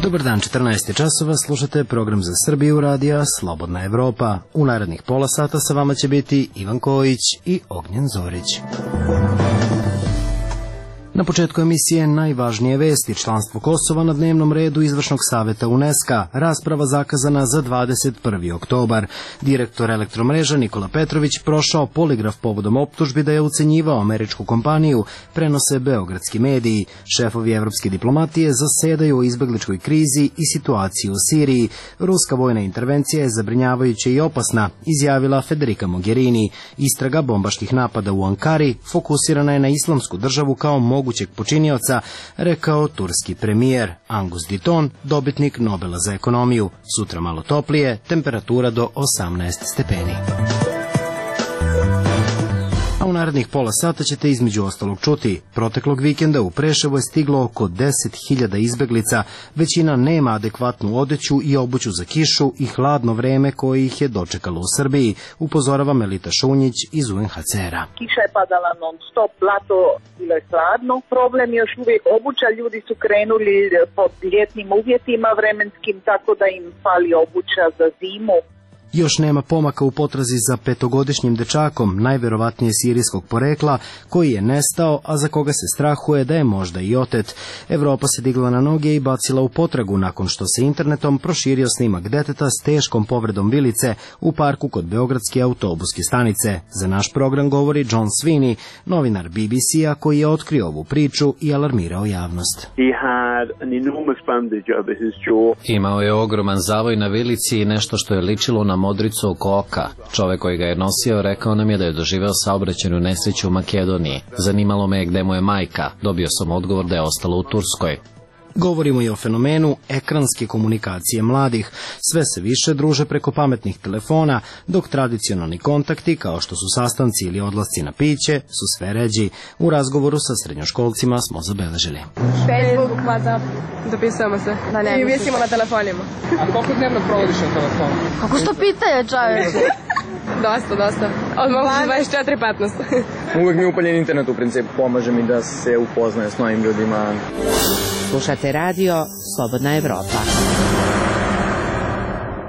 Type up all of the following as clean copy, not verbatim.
Dobar dan, 14 časova, slušate program za Srbiju radija Slobodna Evropa. U narednih pola sata sa vama će biti Ivan Kojić i Ognjen Zorić. Na početku emisije najvažnije vesti: članstvo Kosova na dnevnom redu Izvršnog saveta UNESCO, rasprava zakazana za 21. oktobar. Direktor Elektromreža Nikola Petrović prošao poligraf povodom optužbi da je ucenjivao američku kompaniju, prenose beogradski mediji. Šefovi evropske diplomatije zasedaju o izbegličkoj krizi i situaciji u Siriji. Ruska vojna intervencija je zabrinjavajuća i opasna, izjavila Federica Mogherini. Istraga bombaških napada u Ankari fokusirana je na Islamsku državu kao mogućeg počinioca, rekao turski premijer. Angus Deaton, dobitnik Nobela za ekonomiju. Sutra malo toplije, temperatura do 18 stepeni. A u narednih pola sata ćete između ostalog čuti: proteklog vikenda u Preševo je stiglo oko 10.000 izbeglica, većina nema adekvatnu odeću i obuću za kišu i hladno vreme koje ih je dočekalo u Srbiji, upozorava Melita Šunjić iz UNHCR-a. Kiša je padala non stop, blato, bilo je hladno. Problem je još uvijek obuća, ljudi su krenuli pod ljetnim uvjetima vremenskim, tako da im fali obuća za zimu. Još nema pomaka u potrazi za 5-godišnjim dečakom, najverovatnije sirijskog porekla, koji je nestao, a za koga se strahuje da je možda i otet. Evropa se digla na noge i bacila u potragu nakon što se internetom proširio snimak deteta s teškom povredom vilice u parku kod beogradske autobuske stanice. Za naš program govori John Sweeney, novinar BBC-a koji je otkrio ovu priču i alarmirao javnost. Imao je ogroman zavoj na vilici i nešto što je ličilo na modricu oko oka. Čovek koji ga je nosio rekao nam je da je doživeo saobraćajnu nesreću u Makedoniji. Zanimalo me je gde mu je majka. Dobio sam odgovor da je ostala u Turskoj. Govorimo i o fenomenu ekranske komunikacije mladih. Sve se više druže preko pametnih telefona, dok tradicionalni kontakti, kao što su sastanci ili odlasci na piće, su sve ređi. U razgovoru sa srednjoškolcima smo zabeležili. Facebook, WhatsApp, dopisujemo se i visimo na telefonima. A koliko dnevno provodiš na telefonu? Kako što pitaje, čaveče? Dosta. Odmah 24-15. Uvijek mi je upaljen internet, u principu pomaže mi da se upoznaje s novim ljudima. Slušate radio Slobodna Evropa.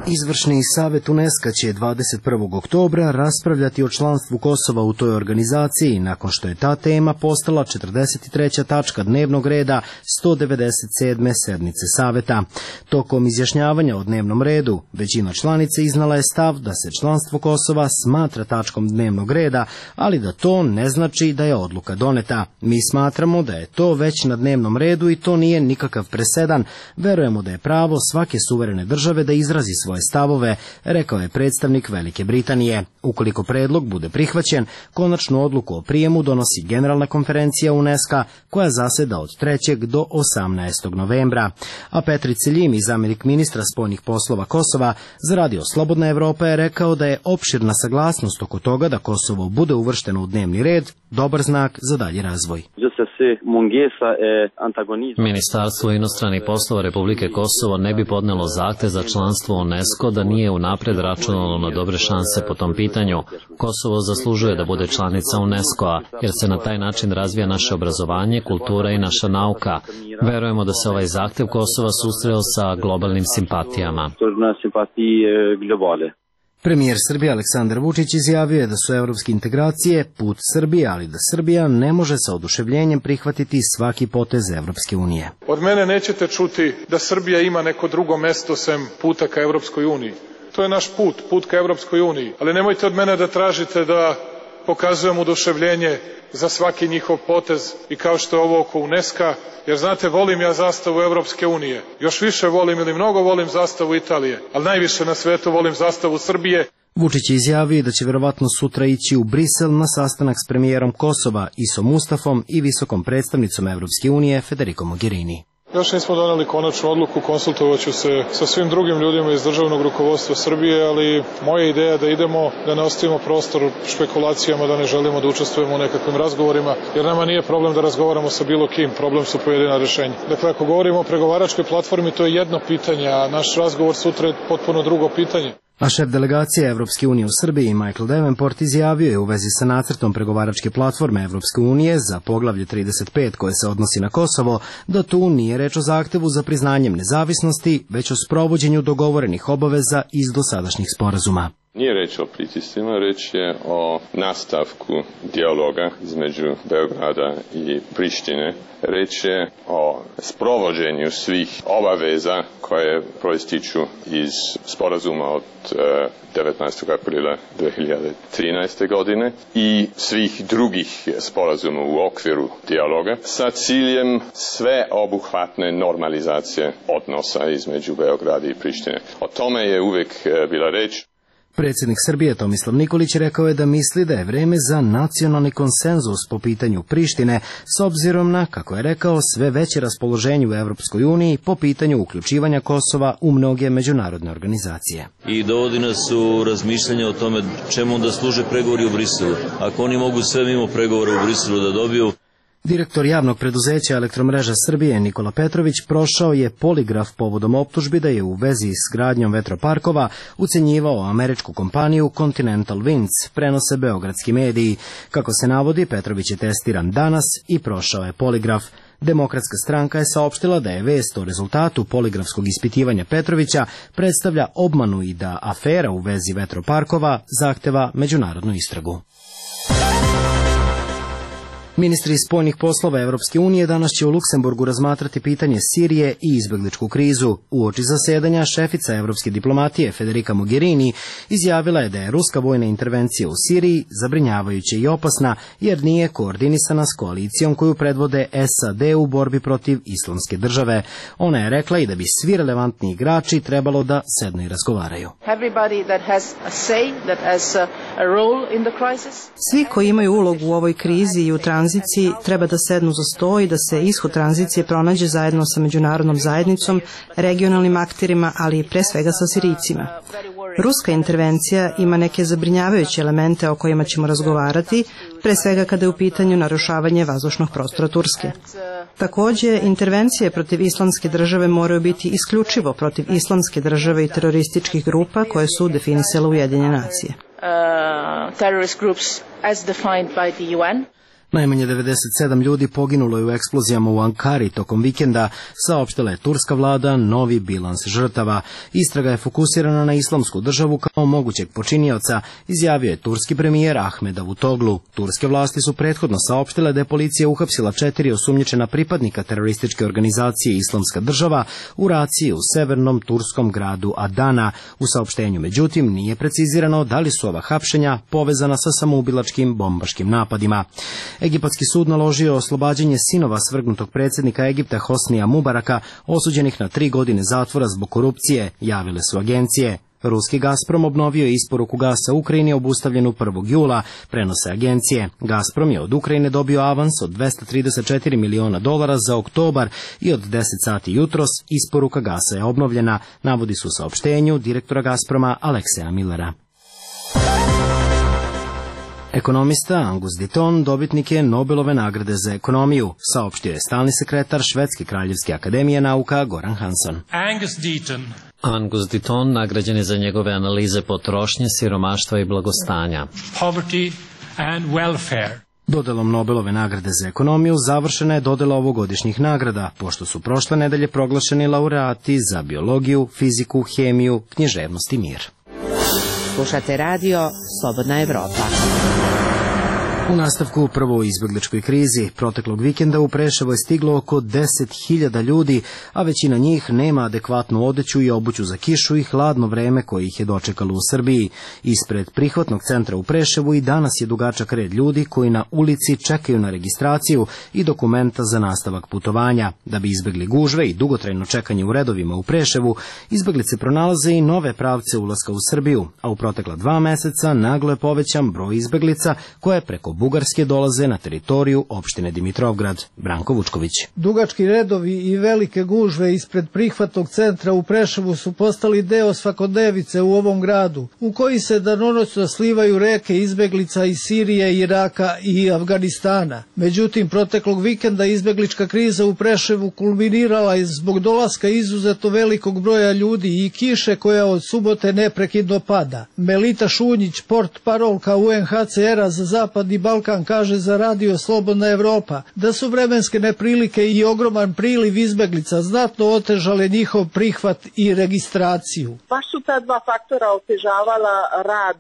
Izvršni savet UNESCO će 21. oktobra raspravljati o članstvu Kosova u toj organizaciji, nakon što je ta tema postala 43. tačka dnevnog reda 197. sednice saveta. Tokom izjašnjavanja o dnevnom redu, većina članica iznala je stav da se članstvo Kosova smatra tačkom dnevnog reda, ali da to ne znači da je odluka doneta. Mi smatramo da je to već na dnevnom redu i to nije nikakav presedan. Verujemo da je pravo svake suverene države da izrazi svoje stavove, rekao je predstavnik Velike Britanije. Ukoliko predlog bude prihvaćen, konačnu odluku o prijemu donosi Generalna konferencija UNESCO, koja zaseda od 3. do 18. novembra. A Petri Celjimi, zamjenik ministra spoljnih poslova Kosova, za radio Slobodna Evropa je rekao da je opširna saglasnost oko toga da Kosovo bude uvršteno u dnevni red dobar znak za dalji razvoj. Ministarstvo inostranih poslova Republike Kosovo ne bi podnelo zahtev za članstvo u UNESCO da nije unapred računalo na dobre šanse po tom pitanju. Kosovo zaslužuje da bude članica UNESCO-a, jer se na taj način razvija naše obrazovanje, kultura i naša nauka. Verujemo da se ovaj zahtev Kosova susreo sa globalnim simpatijama. Premijer Srbije Aleksandar Vučić izjavio je da su evropske integracije put Srbije, ali da Srbija ne može sa oduševljenjem prihvatiti svaki potez Evropske unije. Od mene nećete čuti da Srbija ima neko drugo mesto sem puta ka Evropskoj uniji. To je naš put ka Evropskoj uniji. Ali nemojte od mene da tražite da pokazujem oduševljenje za svaki njihov potez i kao što je ovo oko UNESCO-a, jer znate, volim ja zastavu Evropske unije. Još više volim ili mnogo volim zastavu Italije, ali najviše na svetu volim zastavu Srbije. Vučić je izjavio da će verovatno sutra ići u Brisel na sastanak s premijerom Kosova Isom Mustafom i visokom predstavnicom Evropske unije Federicom Mogherini. Još nismo doneli konačnu odluku, konsultovaću se sa svim drugim ljudima iz državnog rukovodstva Srbije, ali moja ideja je da idemo, da ne ostavimo prostor špekulacijama, da ne želimo da učestvujemo u nekakvim razgovorima, jer nama nije problem da razgovaramo sa bilo kim, problem su pojedina rešenja. Dakle, ako govorimo o pregovaračkoj platformi, to je jedno pitanje, a naš razgovor sutra je potpuno drugo pitanje. A šef delegacije Evropske unije u Srbiji, Michael Davenport, izjavio je u vezi sa nacrtom pregovaračke platforme Evropske unije za poglavlje 35 koje se odnosi na Kosovo, da tu nije reč o zahtevu za priznanjem nezavisnosti, već o sprovođenju dogovorenih obaveza iz dosadašnjih sporazuma. Nije reč o pritiscima, reč je o nastavku dijaloga između Beograda i Prištine. Reč je o sprovođenju svih obaveza koje proističu iz sporazuma od 19. aprila 2013. godine i svih drugih sporazuma u okviru dijaloga sa ciljem sveobuhvatne normalizacije odnosa između Beograda i Prištine. O tome je uvijek bila reč. Predsjednik Srbije Tomislav Nikolić rekao je da misli da je vreme za nacionalni konsenzus po pitanju Prištine, s obzirom na, kako je rekao, sve veće raspoloženje u Evropskoj uniji po pitanju uključivanja Kosova u mnoge međunarodne organizacije. I dovodi nas u razmišljanje o tome čemu onda služe pregovori u Briselu. Ako oni mogu sve mimo pregovora u Briselu da dobiju. Direktor javnog preduzeća Elektromreža Srbije Nikola Petrović prošao je poligraf povodom optužbi da je u vezi s gradnjom vetroparkova ucenjivao američku kompaniju Continental Winds, prenose beogradski mediji. Kako se navodi, Petrović je testiran danas i prošao je poligraf. Demokratska stranka je saopštila da je vest o rezultatu poligrafskog ispitivanja Petrovića predstavlja obmanu i da afera u vezi vetroparkova zahteva međunarodnu istragu. Ministri spoljnih poslova Evropske unije danas će u Luksemburgu razmatrati pitanje Sirije i izbegličku krizu. Uoči zasedanja šefica evropske diplomatije Federica Mogherini izjavila je da je ruska vojna intervencija u Siriji zabrinjavajuća i opasna jer nije koordinisana s koalicijom koju predvode SAD u borbi protiv Islamske države. Ona je rekla i da bi svi relevantni igrači trebalo da sednu i razgovaraju. Svi koji imaju ulogu u ovoj krizi i u tranziciji treba da sednu za sto i da se ishod tranzicije pronađe zajedno sa međunarodnom zajednicom, regionalnim akterima, ali i pre svega sa Sirijcima. Ruska intervencija ima neke zabrinjavajuće elemente o kojima ćemo razgovarati, pre svega kada je u pitanju narušavanje vazdušnog prostora Turske. Takođe, intervencije protiv Islamske države moraju biti isključivo protiv Islamske države i terorističkih grupa koje su definisale Ujedinjene nacije. Najmanje 97 ljudi poginulo je u eksplozijama u Ankari tokom vikenda, saopštila je turska vlada novi bilans žrtava. Istraga je fokusirana na Islamsku državu kao mogućeg počinioca, izjavio je turski premijer Ahmed Davutoglu. Turske vlasti su prethodno saopštile da je policija uhapsila 4 osumnjičena pripadnika terorističke organizacije Islamska država u raciji u severnom turskom gradu Adana. U saopštenju, međutim, nije precizirano da li su ova hapšenja povezana sa samoubilačkim bombaškim napadima. Egipatski sud naložio oslobađanje sinova svrgnutog predsjednika Egipta Hosnija Mubaraka, osuđenih na 3 godine zatvora zbog korupcije, javile su agencije. Ruski Gazprom obnovio je isporuku gasa Ukrajini obustavljenu 1. jula, prenose agencije. Gazprom je od Ukrajine dobio avans od $234 miliona za oktobar i od 10 sati jutros isporuka gasa je obnovljena, navodi su u saopštenju direktora Gazproma Alekseja Millera. Ekonomista Angus Deaton dobitnik je Nobelove nagrade za ekonomiju, saopštio je stalni sekretar Švedske kraljevske akademije nauka Goran Hansson. Angus Deaton nagrađen je za njegove analize potrošnje, siromaštva i blagostanja. Dodelom Nobelove nagrade za ekonomiju završena je dodela ovogodišnjih nagrada, pošto su prošle nedelje proglašeni laureati za biologiju, fiziku, hemiju, književnost i mir. Slušate radio Slobodna Evropa. U nastavku prvo u izbegličkoj krizi proteklog vikenda u Preševo je stiglo oko 10.000 ljudi, a većina njih nema adekvatnu odeću i obuću za kišu i hladno vreme koje ih je dočekalo u Srbiji. Ispred prihvatnog centra u Preševu i danas je dugačak red ljudi koji na ulici čekaju na registraciju i dokumenta za nastavak putovanja. Da bi izbegli gužve i dugotrajno čekanje u redovima u Preševu, izbeglice pronalaze i nove pravce ulaska u Srbiju, a u protekla 2 meseca naglo je povećan broj izbeglica koje preko Bugarske dolaze na teritoriju opštine Dimitrovgrad. Branko Vučković. Dugački redovi i velike gužve ispred prihvatnog centra u Preševu su postali deo svakodnevice u ovom gradu, u koji se danonoćno slivaju reke izbeglica iz Sirije, Iraka i Afganistana. Međutim, proteklog vikenda izbeglička kriza u Preševu kulminirala je zbog dolaska izuzetno velikog broja ljudi i kiše koja od subote neprekidno pada. Melita Šunjić, portparolka UNHCR-a za Zapadni Balkan, kaže za Radio Slobodna Evropa da su vremenske neprilike i ogroman priliv izbeglica znatno otežale njihov prihvat i registraciju. Baš su ta dva faktora otežavala rad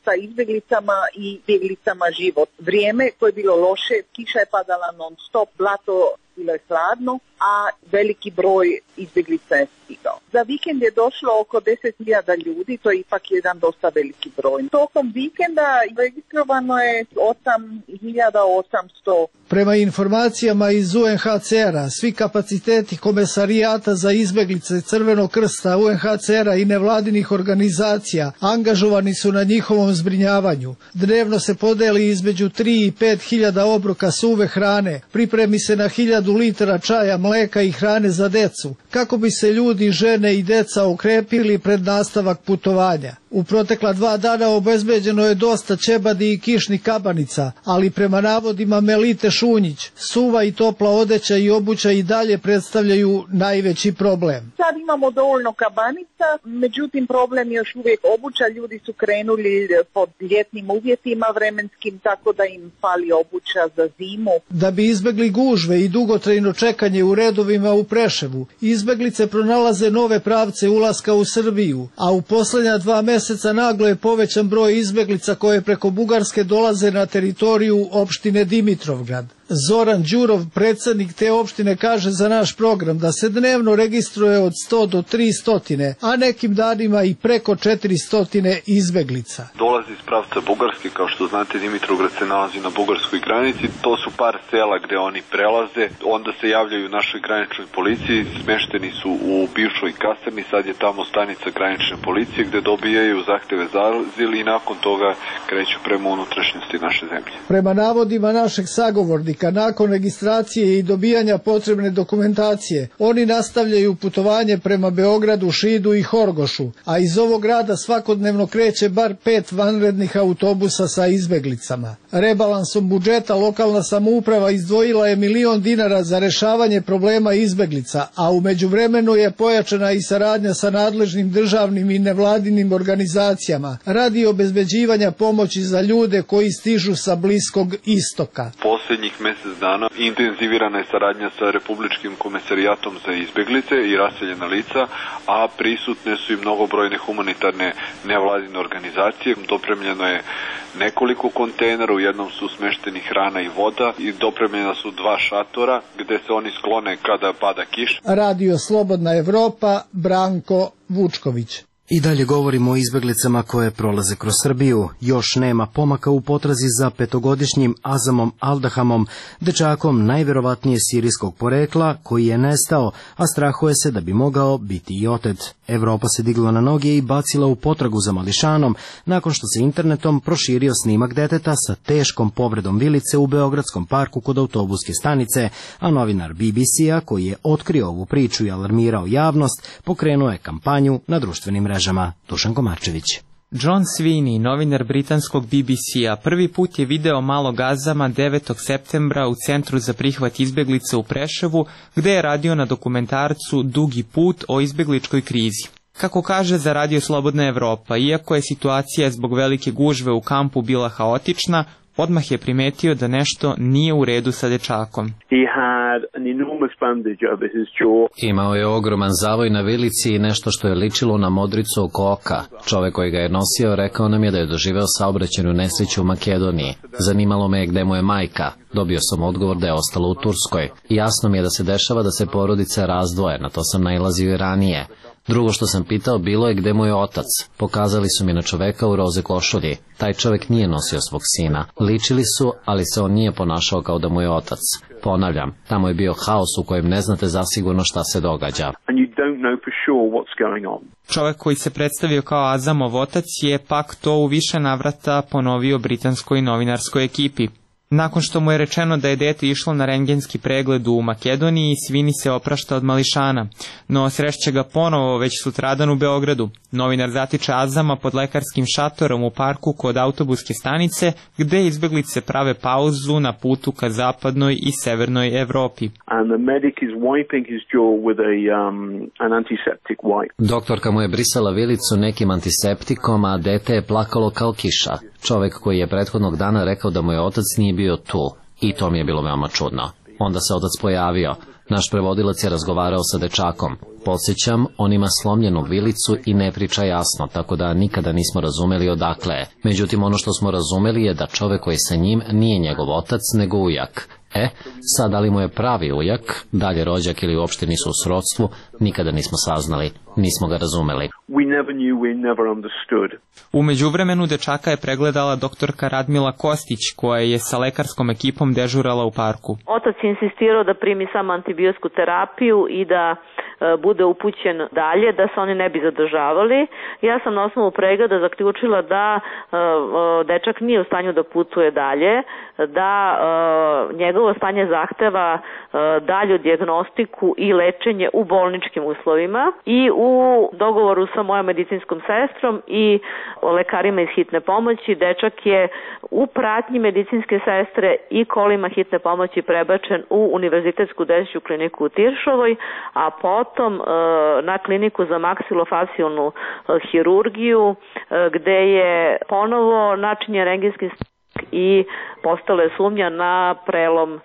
sa izbeglicama i bjeglicama život. Vrijeme koje je bilo loše, kiša je padala non stop, blato bilo je hladno, a veliki broj izbjeglica je stigao. Za vikend je došlo oko 10.000 ljudi, to je ipak jedan dosta veliki broj. Tokom vikenda registrovano je 8.800. Prema informacijama iz UNHCR-a, svi kapaciteti Komesarijata za izbeglice Crvenog krsta, UNHCR-a i nevladinih organizacija angažovani su na njihovom zbrinjavanju. Dnevno se podeli između 3 i 5.000 obroka suve hrane, pripremi se na 1.000 litara čaja, mleka i hrane za decu, kako bi se ljudi, žene i deca okrepili pred nastavak putovanja. U protekla 2 dana obezbeđeno je dosta ćebadi i kišnih kabanica, ali prema navodima Melite Šunjić, suva i topla odeća i obuća i dalje predstavljaju najveći problem. Sad imamo dovoljno kabanica, međutim problem je još uvijek obuća. Ljudi su krenuli pod ljetnim uvjetima vremenskim, tako da im fali obuća za zimu. Da bi izbegli gužve i dugotrajno čekanje u redovima u Preševu, izbeglice pronalaze nove pravce ulaska u Srbiju, a u posljednja 2 mjeseca naglo je povećan broj izbeglica koje preko Bugarske dolaze na teritoriju opštine Dimitrovgrad. Zoran Đurov, predsjednik te opštine, kaže za naš program da se dnevno registruje od 100 do 300, a nekim danima i preko 400 izbeglica. Dolazi iz pravca Bugarske, kao što znate Dimitrovgrad se nalazi na bugarskoj granici, to su par sela gde oni prelaze, onda se javljaju našoj graničnoj policiji, smešteni su u bivšoj kasarni, sad je tamo stanica granične policije gde dobijaju zahteve za azil i nakon toga kreću prema unutrašnjosti naše zemlje. Prema navodima našeg sagovornika, nakon registracije i dobijanja potrebne dokumentacije, oni nastavljaju putovanje prema Beogradu, Šidu i Horgošu, a iz ovog grada svakodnevno kreće bar 5 vanrednih autobusa sa izbeglicama. Rebalansom budžeta lokalna samouprava izdvojila je $1 milion za rešavanje problema izbeglica, a u međuvremenu je pojačana i saradnja sa nadležnim državnim i nevladinim organizacijama radi obezbeđivanja pomoći za ljude koji stižu sa Bliskog istoka. Posljednjih mjesec dana intenzivirana je saradnja sa Republičkim komesarijatom za izbeglice i raseljena lica, a prisutne su i mnogobrojne humanitarne nevladine organizacije. Dopremljeno je nekoliko kontejnera, u jednom su smešteni hrana i voda i dopremljena su 2 šatora gde se oni sklone kada pada kiša. Radio Slobodna Evropa, Branko Vučković. I dalje govorimo o izbeglicama koje prolaze kroz Srbiju. Još nema pomaka u potrazi za 5-godišnjim Azamom Aldahamom, dečakom najverovatnije sirijskog porekla koji je nestao, a strahuje se da bi mogao biti i otet. Evropa se digla na noge i bacila u potragu za mališanom, nakon što se internetom proširio snimak deteta sa teškom povredom vilice u Beogradskom parku kod autobuske stanice, a novinar BBC-a, koji je otkrio ovu priču i alarmirao javnost, pokrenuo je kampanju na društvenim mrežama. Dušan Komarčević. John Sweeney, novinar britanskog BBC-a, prvi put je video malog Azama 9. septembra u Centru za prihvat izbeglica u Preševu, gde je radio na dokumentarcu Dugi put o izbegličkoj krizi. Kako kaže za Radio Slobodna Evropa, iako je situacija zbog velike gužve u kampu bila haotična, odmah je primetio da nešto nije u redu sa dečakom. Imao je ogroman zavoj na vilici i nešto što je ličilo na modricu oko oka. Čovek koji ga je nosio rekao nam je da je doživeo saobraćajnu nesreću u Makedoniji. Zanimalo me je gde mu je majka. Dobio sam odgovor da je ostala u Turskoj. Jasno mi je da se dešava da se porodice razdvoje, na to sam nailazio i ranije. Drugo što sam pitao bilo je gde mu je otac. Pokazali su mi na čoveka u roze košulji. Taj čovek nije nosio svog sina. Ličili su, ali se on nije ponašao kao da mu je otac. Ponavljam, tamo je bio haos u kojem ne znate zasigurno šta se događa. Čovek koji se predstavio kao Azamov otac je pak to u više navrata ponovio britanskoj novinarskoj ekipi. Nakon što mu je rečeno da je dete išlo na rendgenski pregled u Makedoniji, Svini se oprašta od mališana, no srešće ga ponovo već sutradan u Beogradu. Novinar zatiče Azama pod lekarskim šatorom u parku kod autobuske stanice, gde izbeglice prave pauzu na putu ka zapadnoj i severnoj Evropi. Doktorka mu je brisala vilicu nekim antiseptikom, a dete je plakalo kao kiša. Čovek koji je prethodnog dana rekao da mu je otac nije bio tu, i to mi je bilo veoma čudno. Onda se otac pojavio. Naš prevodilac je razgovarao sa dečakom. Podsjećam, on ima slomljenu vilicu i ne priča jasno, tako da nikada nismo razumeli odakle je. Međutim, ono što smo razumeli je da čovek koji je sa njim nije njegov otac, nego ujak. Sad, da li mu je pravi ujak, dalje rođak ili uopšte nisu u srodstvu, nikada nismo saznali, nismo ga razumeli. U međuvremenu dečaka je pregledala doktorka Radmila Kostić, koja je sa lekarskom ekipom dežurala u parku. Otac je insistirao da primi samo antibiotsku terapiju i da bude upućen dalje, da se oni ne bi zadržavali. Ja sam na osnovu pregleda zaključila da dečak nije u stanju da putuje dalje, da njegovo stanje zahteva dalju dijagnostiku i lečenje u bolničkim uslovima, i u dogovoru sa mojom medicinskom sestrom i lekarima iz hitne pomoći dečak je u pratnji medicinske sestre i kolima hitne pomoći prebačen u Univerzitetsku dečju kliniku u Tiršovoj, a potom na kliniku za maksilofacijalnu hirurgiju, gde je ponovo načinjen rendgenski i postala je sumnja na prelom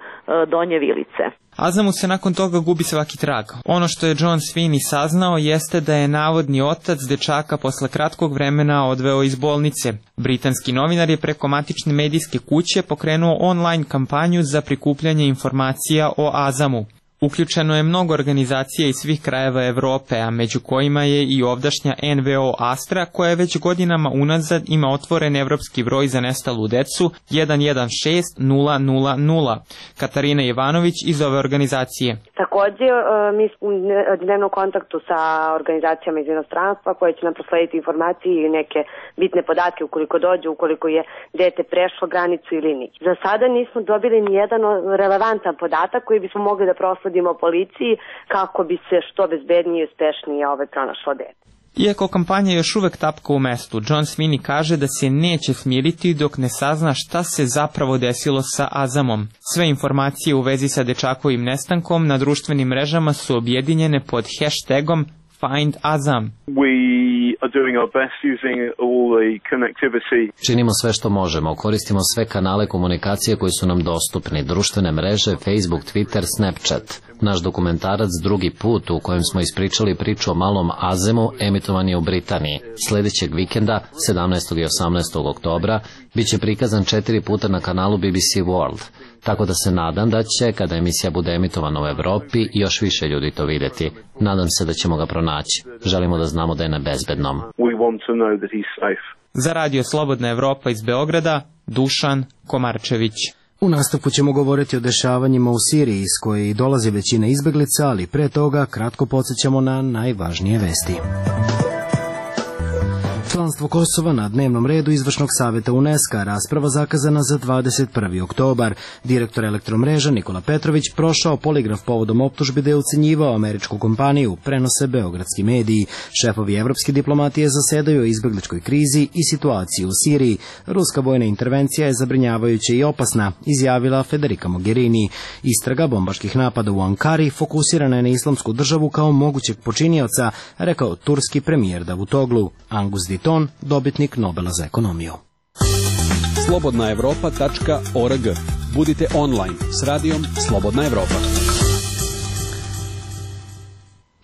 donje vilice. Azamu se nakon toga gubi svaki trag. Ono što je John Sweeney saznao jeste da je navodni otac dečaka posle kratkog vremena odveo iz bolnice. Britanski novinar je preko matične medijske kuće pokrenuo online kampanju za prikupljanje informacija o Azamu. Uključeno je mnogo organizacija iz svih krajeva Evrope, a među kojima je i ovdašnja NVO Astra, koja već godinama unazad ima otvoren evropski broj za nestalu decu 116000. Katarina Ivanović iz ove organizacije. Također, mi smo u dnevnom kontaktu sa organizacijama iz inostranstva koje će nam proslediti informacije i neke bitne podatke ukoliko dođe, ukoliko je dete prešlo granicu ili nije. Za sada nismo dobili ni jedan relevantan podatak koji bismo mogli da prosledimo policiji kako bi se što bezbednije i uspešnije pronašlo dete. Iako kampanja još uvek tapka u mestu, John Sweeney kaže da se neće smiriti dok ne sazna šta se zapravo desilo sa Azamom. Sve informacije u vezi sa dečakovim nestankom na društvenim mrežama su objedinjene pod hashtagom Find Azam. Činimo sve što možemo, koristimo sve kanale komunikacije koji su nam dostupni, društvene mreže, Facebook, Twitter, Snapchat. Naš dokumentarac Drugi put, u kojem smo ispričali priču o malom Azemu, emitovan je u Britaniji. Sljedećeg vikenda, 17. i 18. oktobra, bit će prikazan 4 puta na kanalu BBC World. Tako da se nadam da će, kada emisija bude emitovana u Evropi, još više ljudi to vidjeti. Nadam se da ćemo ga pronaći. Želimo da znamo da je na bezbednom. Za Radio Slobodna Evropa iz Beograda, Dušan Komarčević. U nastavku ćemo govoriti o dešavanjima u Siriji, iz koje dolazi većina izbeglica, ali pre toga kratko podsjećamo na najvažnije vesti. Članstvo Kosova na dnevnom redu Izvršnog savjeta UNESCO, rasprava zakazana za 21. oktobar. Direktor Elektromreža Nikola Petrović prošao poligraf povodom optužbi da je ucenjivao američku kompaniju, prenose beogradski mediji. Šefovi evropske diplomatije zasedaju o izbegličkoj krizi i situaciji u Siriji. Ruska vojna intervencija je zabrinjavajuća i opasna, izjavila Federica Mogherini. Istraga bombaških napada u Ankari fokusirana je na Islamsku državu kao mogućeg počinioca, rekao turski premijer Davutoglu. Angus Diton, dobitnik Nobela za ekonomiju. slobodnaevropa.org. Budite online s radijom Slobodna Evropa.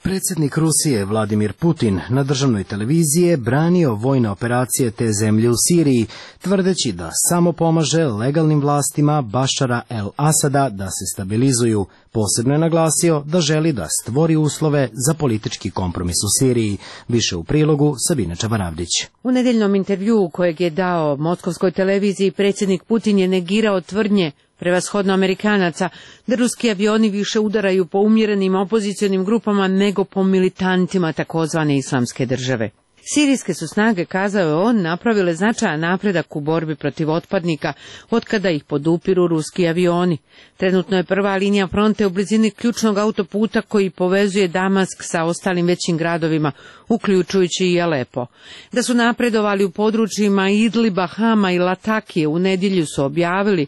Predsjednik Rusije Vladimir Putin na državnoj televiziji je branio vojne operacije te zemlje u Siriji, tvrdeći da samo pomaže legalnim vlastima Bašara el-Asada da se stabilizuju. Posebno je naglasio da želi da stvori uslove za politički kompromis u Siriji. Više u prilogu Sabine Čavaravdić. U nedeljnom intervjuu kojeg je dao moskovskoj televiziji, predsjednik Putin je negirao tvrdnje prevashodno Amerikanaca da ruski avioni više udaraju po umjerenim opozicionim grupama nego po militantima takozvane islamske države. Sirijske su snage, kazao je on, napravile značajan napredak u borbi protiv otpadnika, otkada ih podupiru ruski avioni. Trenutno je prva linija fronte u blizini ključnog autoputa koji povezuje Damask sa ostalim većim gradovima, uključujući i Alepo. Da su napredovali u područjima Idliba, Hama i Latakije, u nedjelju su objavili,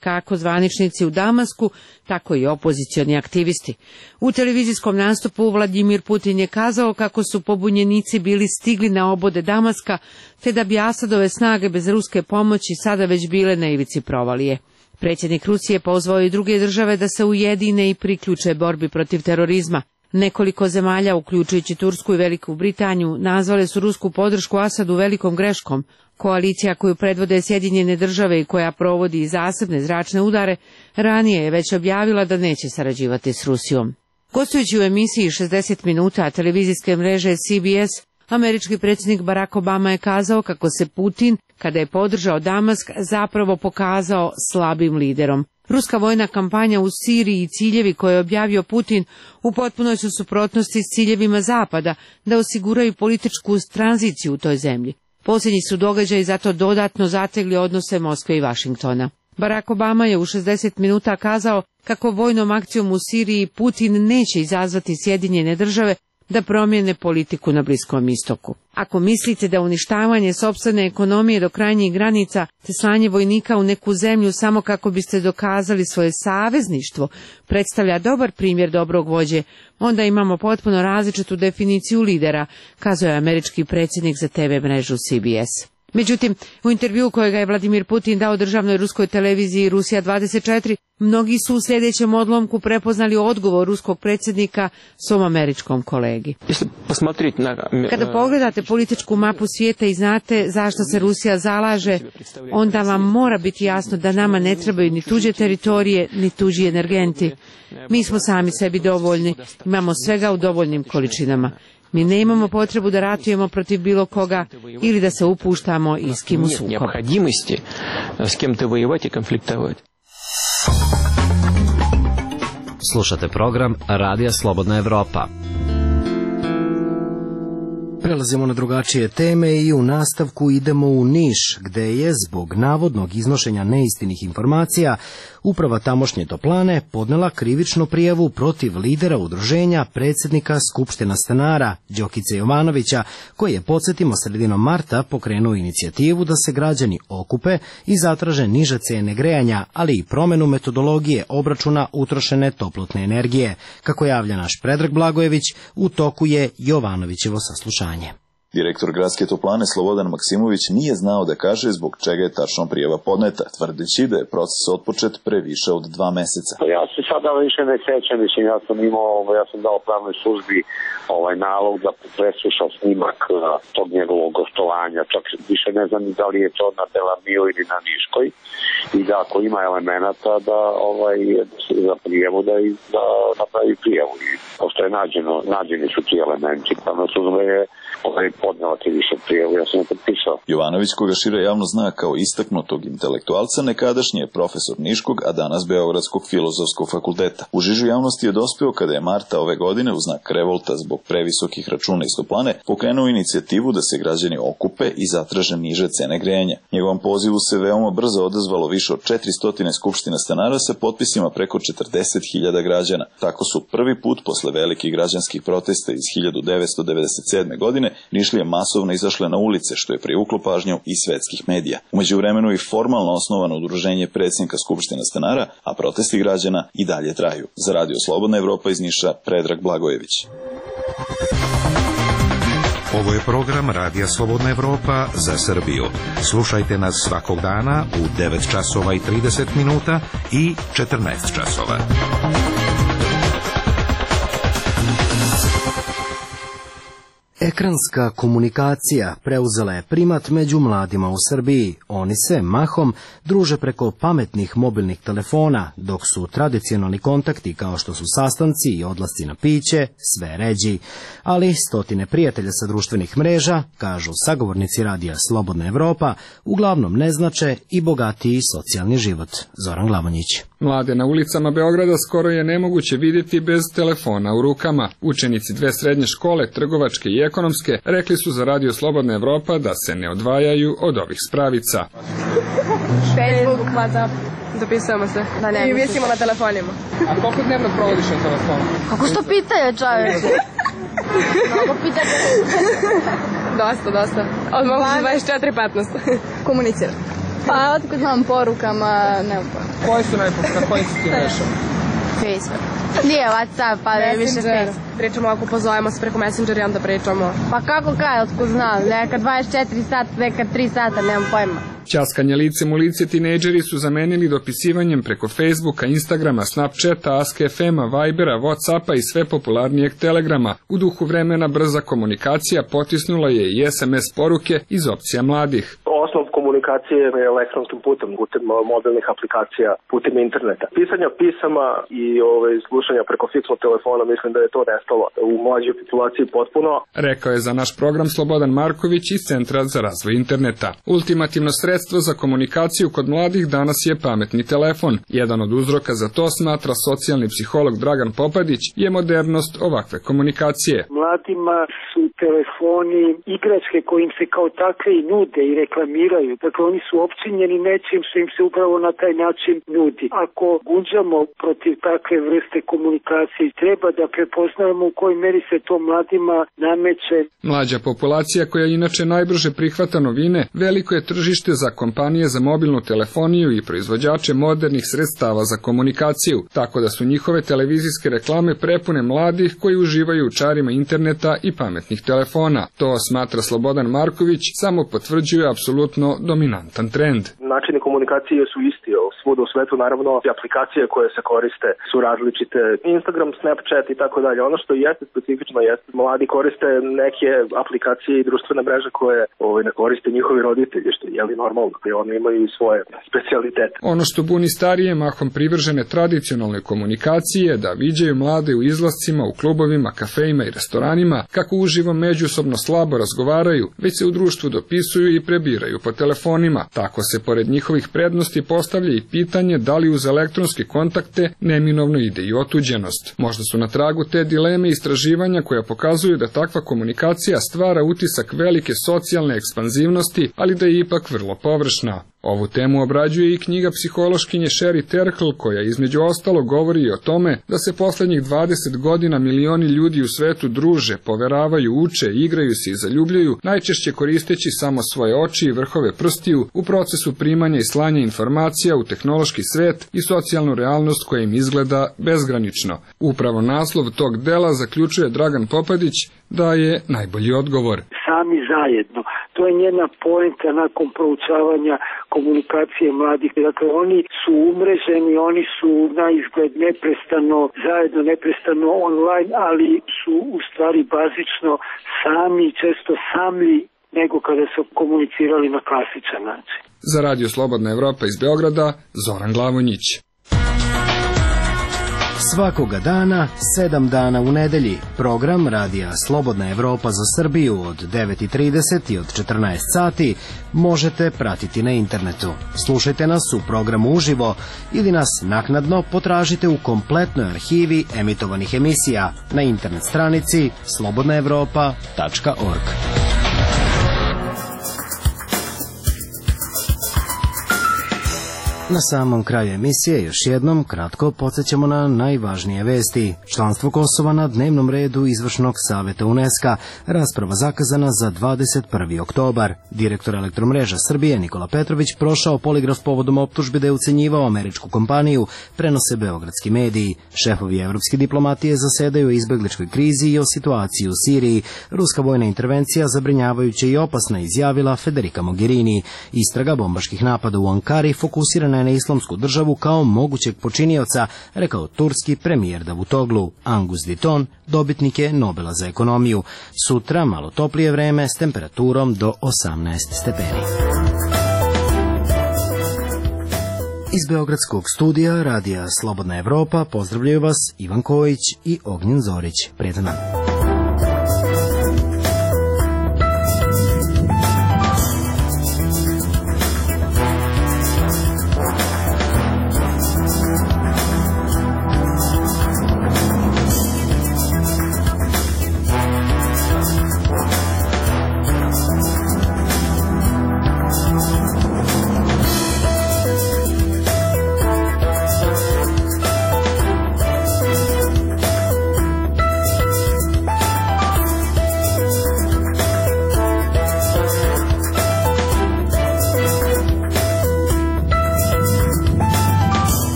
kako zvaničnici u Damasku, tako i opozicioni aktivisti. U televizijskom nastupu Vladimir Putin je kazao kako su pobunjenici bili stigli na obode Damaska, te da bi Asadove snage bez ruske pomoći sada već bile na ivici provalije. Predsjednik Rusije pozvao i druge države da se ujedine i priključe borbi protiv terorizma. Nekoliko zemalja, uključujući Tursku i Veliku Britaniju, nazvale su rusku podršku Asadu velikom greškom. Koalicija koju predvode Sjedinjene države i koja provodi zasebne zračne udare, ranije je već objavila da neće sarađivati s Rusijom. Gostujući u emisiji 60 minuta televizijske mreže CBS, američki predsjednik Barack Obama je kazao kako se Putin, kada je podržao Damask, zapravo pokazao slabim liderom. Ruska vojna kampanja u Siriji i ciljevi koje je objavio Putin u potpunoj su suprotnosti s ciljevima Zapada da osiguraju političku tranziciju u toj zemlji. Posljednji su događaji zato dodatno zategli odnose Moskve i Vašingtona. Barack Obama je u 60 minuta kazao kako vojnom akcijom u Siriji Putin neće izazvati Sjedinjene države da promijene politiku na Bliskom istoku. Ako mislite da uništavanje sopstvene ekonomije do krajnjih granica te slanje vojnika u neku zemlju samo kako biste dokazali svoje savezništvo predstavlja dobar primjer dobrog vođe, onda imamo potpuno različitu definiciju lidera, kazao je američki predsjednik za TV mrežu CBS. Međutim, u intervjuu kojega je Vladimir Putin dao državnoj ruskoj televiziji Rusija 24, mnogi su u sljedećem odlomku prepoznali odgovor ruskog predsjednika svom američkom kolegi. Kada pogledate političku mapu svijeta i znate zašto se Rusija zalaže, onda vam mora biti jasno da nama ne trebaju ni tuđe teritorije, ni tuđi energenti. Mi smo sami sebi dovoljni, imamo svega u dovoljnim količinama. Mi ne imamo potrebu da ratujemo protiv bilo koga ili da se upuštamo i s kim u sukob. Slušate program Radija Slobodna Evropa. Prelazimo na drugačije teme i u nastavku idemo u Niš, gde je zbog navodnog iznošenja neistinih informacija uprava tamošnje toplane podnela krivičnu prijavu protiv lidera udruženja predsjednika Skupština stanara Đokice Jovanovića, koji je, podsjetimo, sredinom marta pokrenuo inicijativu da se građani okupe i zatraže niže cene grejanja, ali i promenu metodologije obračuna utrošene toplotne energije. Kako javlja naš Predrag Blagojević, u toku je Jovanovićevo saslušanje. Direktor gradske toplane Slobodan Maksimović nije znao da kaže zbog čega je tačno prijava podneta, tvrdeći da je proces otpočet pre više od 2 meseca. Ja se sada više ne sećam, ja sam dao pravnoj službi nalog da presluša snimak tog njegovog gostovanja, čak više ne znam da li je to na Delamiju ili na Niškoj, i da ako ima elemenata da za prijavu da napravi prijavu. I pošto je nađeni su ti elementi, pravna služba je podnela ti više prijavu, ja sam je potpisao. Jovanović, koga šira javno zna kao istaknutog intelektualca, nekadašnji je profesor Niškog, a danas Beogradskog filozofskog fakulteta. U žižu javnosti je dospeo kada je marta ove godine u znak revolta zbog previsokih računa iz toplane pokrenuo inicijativu da se građani okupe i zatraže niže cene grejanja. Njegovom pozivu se veoma brzo odazvalo više od 400 skupština stanara sa potpisima preko 40.000 građana. Tako su prvi put posle velikih građanskih protesta iz 1997. godine Nišlije masovno izašle na ulice, što je privuklo pažnju i svetskih medija. U međuvremenu i formalno osnovano udruženje predsjednika Skupština stanara, a protesti građana i dalje traju. Za Radio Slobodna Evropa iz Niša, Predrag Blagojević. Ovo je program Radija Slobodna Evropa za Srbiju. Slušajte nas svakog dana u 9 časova i 30 minuta i 14 časova. Ekranska komunikacija preuzela je primat među mladima u Srbiji. Oni se mahom druže preko pametnih mobilnih telefona, dok su tradicionalni kontakti kao što su sastanci i odlasci na piće sve ređi. Ali stotine prijatelja sa društvenih mreža, kažu sagovornici Radija Slobodna Evropa, uglavnom ne znače i bogatiji socijalni život. Zoran Glamonjić. Mlade na ulicama Beograda skoro je nemoguće vidjeti bez telefona u rukama. Učenici dve srednje škole, trgovačke i ekonomske, rekli su za Radio Slobodna Evropa da se ne odvajaju od ovih spravica. Facebook, WhatsApp, dopisujemo se. I visimo na telefonima. A koliko dnevno provodiš na telefonu? Kako sto pitanje, čoveče? Mnogo pitanje. Dosta. Od mogu 24-15. Komunicirati. Pa otkud znam porukama, ne znam. Koje su na kojim su ti mrežama? Facebook. Nije WhatsApp, pa je više Facebook. Pričamo ako pozovemo se preko Messenger i onda pričamo. Pa kako otkud znam, neka 24 sata, neka 3 sata, nemam pojma. Ćaskanje licem u lice tinejdžeri su zamenili dopisivanjem preko Facebooka, Instagrama, Snapchata, Ask.fm-a, Vibera, Whatsappa i sve popularnijeg Telegrama. U duhu vremena brza komunikacija potisnula je i SMS poruke iz opcija mladih. Osnov komunikacije je elektronskim putem mobilnih aplikacija, putem interneta. Pisanja pisama i slušanja preko fiksnog telefona, mislim da je to nestalo u mlađoj populaciji potpuno. Rekao je za naš program Slobodan Marković iz Centra za razvoj interneta. Ultimativno sredstvo za komunikaciju kod mladih danas je pametni telefon. Jedan od uzroka za to, smatra socijalni psiholog Dragan Popadić, je modernost ovakve komunikacije. Mladima su telefoni igračke kojim se kao takve i nude i reklamiraju. Dakle, oni su opčinjeni nečim što im se upravo na taj način nudi. Ako gunđamo protiv takve vrste komunikacije, treba da prepoznajemo u kojoj meri se to mladima nameće. Mlađa populacija, koja inače najbrže prihvata novine, veliko je tržište za kompanije za mobilnu telefoniju i proizvođače modernih sredstava za komunikaciju, tako da su njihove televizijske reklame prepune mladih koji uživaju u čarima interneta i pametnih telefona. To, smatra Slobodan Marković, samo potvrđuje apsolutno dominantan trend. Načini komunikacije su isti, svuda u svetu naravno aplikacije koje se koriste su različite, Instagram, Snapchat i tako dalje. Ono što jeste specifično jeste mladi koriste neke aplikacije i društvene mreže koje ne koriste njihovi roditelji, što je normalno, jer oni imaju i svoje specijalitete. Ono što buni starije, mahom privržene tradicionalnoj komunikaciji, je da viđaju mlade u izlascima, u klubovima, kafejima i restoranima, kako uživo međusobno slabo razgovaraju, već se u društvu dopisuju i prebiraju po telefonima. Tako se pored njihovih prednosti postavlja i pitanje da li uz elektronske kontakte neminovno ide i otuđenost. Možda su na tragu te dileme istraživanja koja pokazuju da takva komunikacija stvara utisak velike socijalne ekspanzivnosti, ali da je ipak vrlo površna. Ovu temu obrađuje i knjiga psihološkinje Sherry Terkel, koja između ostalo govori i o tome da se poslednjih 20 godina milioni ljudi u svetu druže, poveravaju, uče, igraju se i zaljubljaju, najčešće koristeći samo svoje oči i vrhove prstiju u procesu primanja i slanja informacija u tehnološki svet i socijalnu realnost koja im izgleda bezgranično. Upravo naslov tog dela, zaključuje Dragan Popadić, da je najbolji odgovor. Sami zajedno. To je njena poenta nakon proučavanja komunikacije mladih. Dakle, oni su umreženi, oni su na izgled neprestano zajedno, neprestano online, ali su u stvari bazično sami, često samlji nego kada su komunicirali na klasičan način. Za Radio Slobodna Evropa iz Beograda, Zoran Glavonjić. Svakoga dana, 7 dana u nedelji, program Radija Slobodna Evropa za Srbiju od 9:30 i od 14 sati možete pratiti na internetu. Slušajte nas u programu uživo ili nas naknadno potražite u kompletnoj arhivi emitovanih emisija na internet stranici slobodnaevropa.org. Na samom kraju emisije još jednom kratko podsjećamo na najvažnije vesti. Članstvo Kosova na dnevnom redu Izvršnog saveta UNESCO, rasprava zakazana za 21. oktobar. Direktor Elektromreža Srbije Nikola Petrović prošao poligraf povodom optužbe da je ucenjivao američku kompaniju, prenose beogradski mediji. Šefovi evropske diplomatije zasedaju o izbegličkoj krizi i o situaciji u Siriji. Ruska vojna intervencija zabrinjavajuća i opasna, izjavila Federica Mogherini. Istraga bombaških napada u Ankari fokusirana je na Islamsku državu kao mogućeg počinioca, rekao turski premijer Davutoglu. Angus Deaton dobitnik je Nobela za ekonomiju. Sutra malo toplije vreme s temperaturom do 18 stepeni. Iz beogradskog studija Radija Slobodna Evropa pozdravljaju vas Ivan Kojić i Ognjen Zorić. Prijetan dan.